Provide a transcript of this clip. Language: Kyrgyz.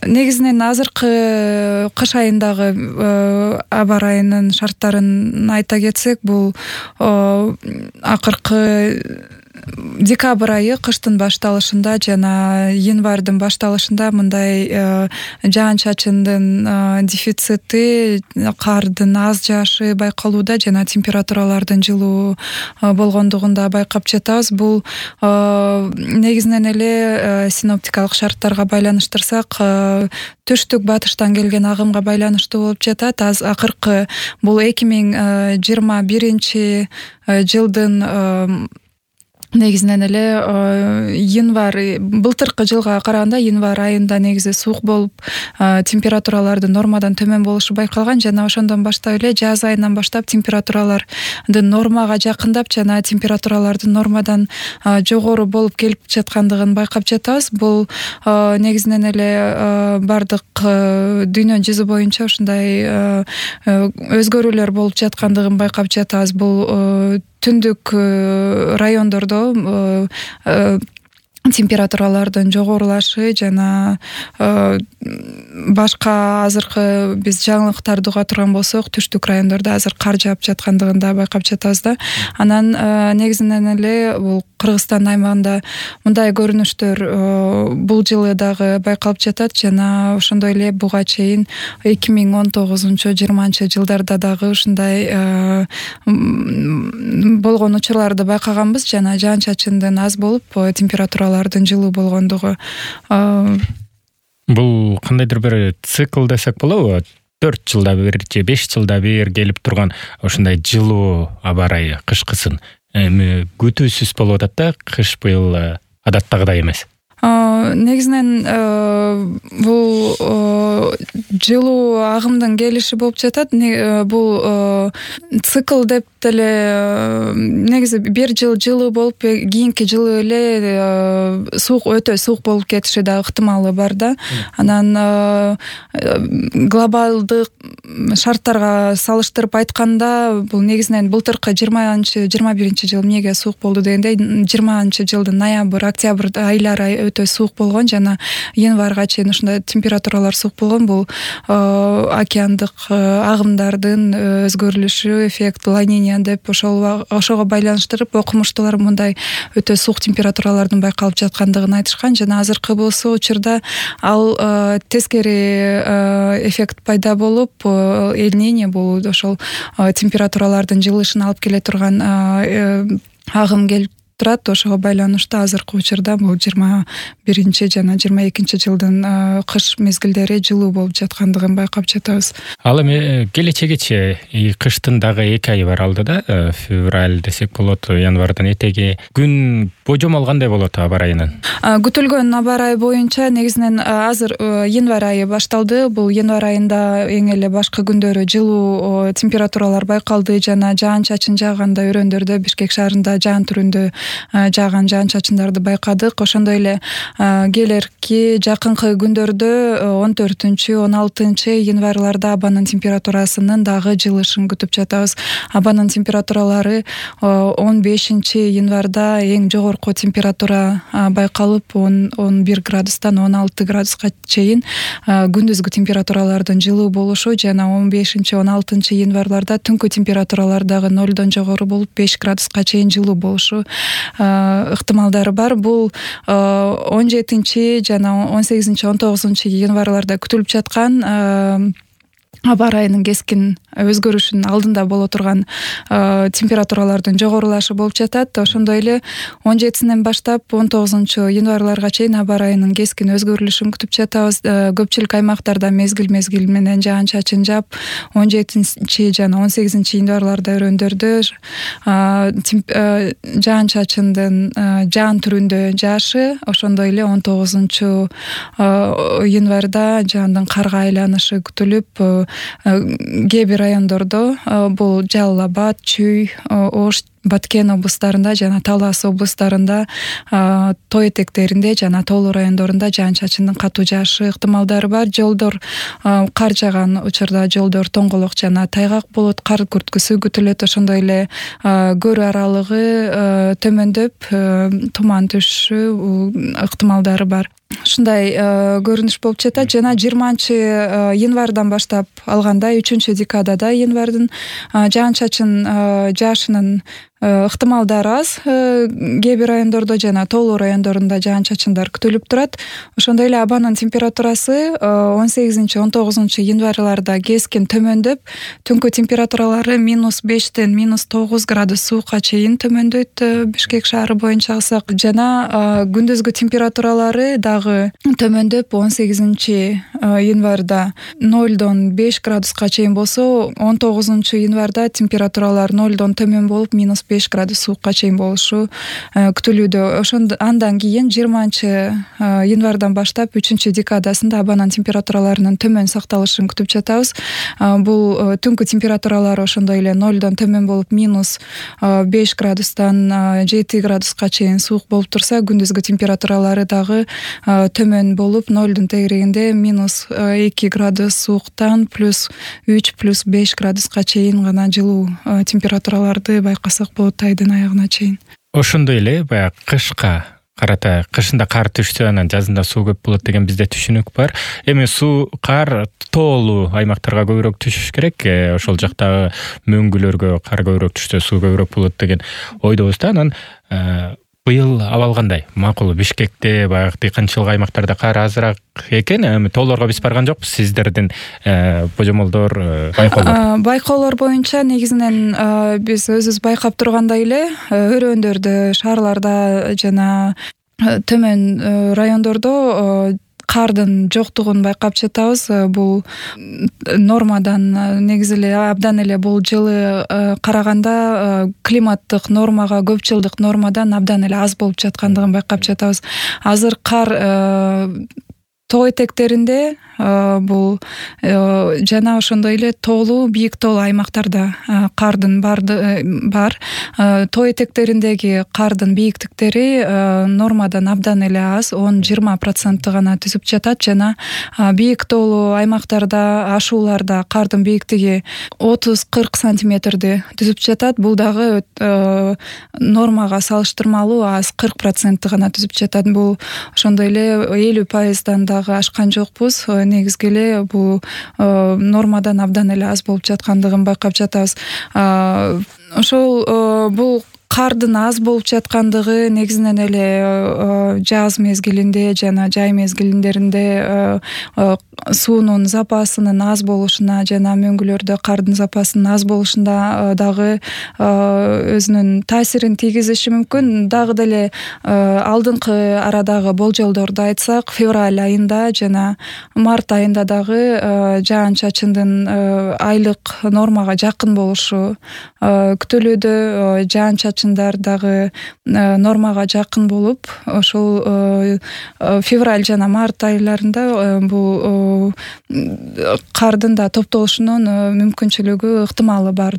негизинен азыркы кыш айындагы аба ырайынын шарттарын айта кетсек, бул акыркы декабрь айы кыштын башталышында жана январдын башталышында мындай жаан-чачындын дефицити, кардын аз жаашы байкалууда жана температуралардын жылуу болгондугун да байкап жатабыз. Бул негизинен эле синоптикалык шарттарга байланыштырсак, түштүк батыштан келген агымга байланыштуу болуп жатат. Акыркы бул 2021 жылдын негизинен эле январь, былтыркы жылга караганда январь айында негизи суук болуп, температуралардын нормадан төмөн болушу байкалган жана ошондон баштап эле жаз айынан баштап температуралардын нормага жакындап жана температуралардын нормадан жогору болуп келип жаткандыгын байкап жатабыз. Бул негизинен эле бардык дүйнө жүзү боюнча ушундай өзгөрүүлөр болуп жаткандыгын байкап жатабыз. Бул түндүк райондордо температуралардын жогорулашы жана башка азыркы биз жаңылыктарды уга турган болсок, түштүк райондордо азыр кар жаап жаткандыгын да байкап жатабыз да. Анан негизинен эле бул Кыргызстан аймагында мындай көрүнүштөр бул жылы дагы байкалып жатат жана ошондой эле буга чейин 2019-20 жылдарда дагы ушундай болгон учурларды байкаганбыз жана жаан-чачындын аз болуп температуралардын жылуу болгондугу. Бул кандайдыр бир цикл десек болобу? 4 жылда бир же 5 жылда бир келип турган ушундай жылуу аба ырайы, кышкысын күтүүсүз болуп атат да, кыш быйыл адаттагыдай эмес. Негизинен бул жылуу агымдын келиши болуп жатат. Бул цикл деп деле негизи бир жыл жылуу болуп, кийинки жылы эле суук, өтө суук болуп кетиши да ыктымалы бар да. Анан глобалдык шарттарга салыштырып айтканда, бул негизинен былтыркы 20-21 жыл эмнеге суук болду дегенде, 20 жылдын ноябрь, октябрь айлары өтө суук болгон жана январга чейин ушундай температуралар суук болгон. Бул океандык агымдардын өзгөрүлүшү, эффект ла-Ниня деп ошого байланыштырып окумуштуулар мындай өтө суук температуралардын байкалып жаткандыгын айтышкан жана азыркы болсо учурда ал тескери эффект пайда болуп, ла-Ниня бул ошол температуралардын жылышын алып келе турган агым келип турат. Ошого байланыштуу азыркы учурда бул 21 жана 22 жылдын кыш мезгилдери жылуу болуп жаткандыгын байкап жатабыз. Ал эми келечегечи кыштын дагы 2 айы бар алдыда, февраль десек болот, январдан этеги. Күн божомол кандай болот аба ырайынын? Күтүлгөн аба ырайы боюнча негизинен азыр январь айы башталды. Бул январь айында эң эле башкы күндөрү жылуу температуралар байкалды жана жаан-чачын жааганда өрөөндөрдө, Бишкек шаарында жаан түрүндө жааган жаан-чачындарды байкадык. Ошондой эле келерки жакынкы күндөрдө 14-16 январларда абанын температурасынын дагы жылышын күтүп жатабыз. Абанын температуралары 15 январда эң жогорку температура байкалып, 11 градустан 16 градуска чейин күндүзгү температуралардын жылуу болушу жана 15-16 январларда түнкү температуралар дагы 0дон жогору болуп 5 градуска чейин жылуу болушу ыктымалдары бар. Бул 17 жана 18-19 январларда күтүлүп жаткан аба ырайынын кескин өзгөрүшүнүн алдында боло турган температуралардын жогорулашы болуп жатат. Ошондой эле 17-синен баштап 19 январларга чейин аба ырайынын кескин өзгөрүлүшүн күтүп жатабыз. Көпчүлүк аймактарда мезгил менен жаан-чачын жаап, 17 жана 18 январларда өрөөндөрдө жаан-чачындын жаан түрүндө жаашы, ошондой эле 19 январда жаандын карга айланышы күтүлүп, кээ бир райондордо бул Жалал Абад, Чүй, Ош Баткен облустарында жана Талас облустарында тоо этектеринде жана тоолуу райондорунда жаан-чачындын катуу жаашы ыктымалдары бар. Жолдор кар жааган учурда жолдор тоңголок жана тайгак болот, кар күрткүсү күтүлөт. Ошондой эле көрүү аралыгы төмөндөп туман түшүү ыктымалдары бар. Ушундай көрүнүш болуп жатат жана 20-январдан баштап алганда 3-декадада январдын жаан-чачын жаашынын ыктымалдары аз кээ бир райондордо жана тоолуу райондорунда жаан-чачындар күтүлүп турат. Ошондой эле абанын температурасы 18-19 январларда кескин төмөндөп, түнкү температуралары -5-тен -9 градус суукка чейин төмөндөйт Бишкек шаары боюнча алсак, жана күндүзгү температуралары дагы төмөндөп 18-январда 0-дон 5 градуска чейин болсо, 19-январда температуралар 0-дон төмөн болуп -5 градус суукка чейин болушу күтүлүүдө. Андан кийин 20-январдан баштап 3-декадасында абанын температураларынын төмөн сакталышын күтүп жатабыз. Бул түнкү температуралары ошондой эле 0-дон төмөн болуп -5 градустан 7 градуска чейин суук болуп турса, күндүзгү температуралары дагы төмөн болуп 0-дун тегерегинде -2 градус сууктан +3 +5 градуска чейин гана жылуу температураларды байкасак болот айдын аягына чейин. Ошондой эле баягы кышка карата, кышында кар түшсө анан жазында суу көп болот деген бизде түшүнүк бар. Эми кар тоолуу аймактарга көбүрөөк түшүш керек. Ошол жактагы мөңгүлөргө кар көбүрөөк түшсө суу көбүрөөк болот деген ойдобуз да. Анан быйыл абал кандай? Макул, Бишкекте баягы дыйканчылык аймактарда кар азыраак экен. Эми тоолорго биз барган жокпуз. Сиздердин божомолдор, байкоолор боюнча негизинен биз өзүбүз байкап тургандай эле өрөөндөрдө, шаарларда жана төмөн райондордо кардын жоктугун байкап жатабыз. Бул нормадан негизи эле абдан эле бул жылы караганда климаттык нормага, көп жылдык нормадан абдан эле аз болуп жаткандыгын байкап жатабыз. Азыр кар тоо этектеринде бул жана ошондой эле тоолуу, бийик тоолуу аймактарда кардын бар. Тоо этектериндеги кардын бийиктиктери нормадан абдан эле аз, 10-20% гана түзүп жатат жана бийик тоолуу аймактарда, ашууларда кардын бийиктиги 30-40 сантиметрди түзүп жатат. Бул дагы нормага салыштырмалуу аз, 40% гана түзүп жатат. Бул ошондой эле 50%-дан дагы ашкан жокпуз. Негизги эле бул нормадан абдан эле аз болуп жаткандыгын байкап жатабыз. Ошол бул кардын аз болуп жаткандыгы негизинен эле жаз мезгилинде жана жай мезгилдеринде суунун запасынын аз болушуна жана мөңгүлөрдө кардын запасынын аз болушунда дагы өзүнүн таасирин тийгизиши мүмкүн. Дагы деле алдыңкы арадагы болжолдорду айтсак, февраль айында жана март айында дагы жаан-чачындын айлык нормага жакын болушу күтүлүүдө. Жаан-чачындар дагы нормага жакын болуп, ошол февраль жана март айларында бул кардын да топтолушунун мүмкүнчүлүгү, ыктымалы бар.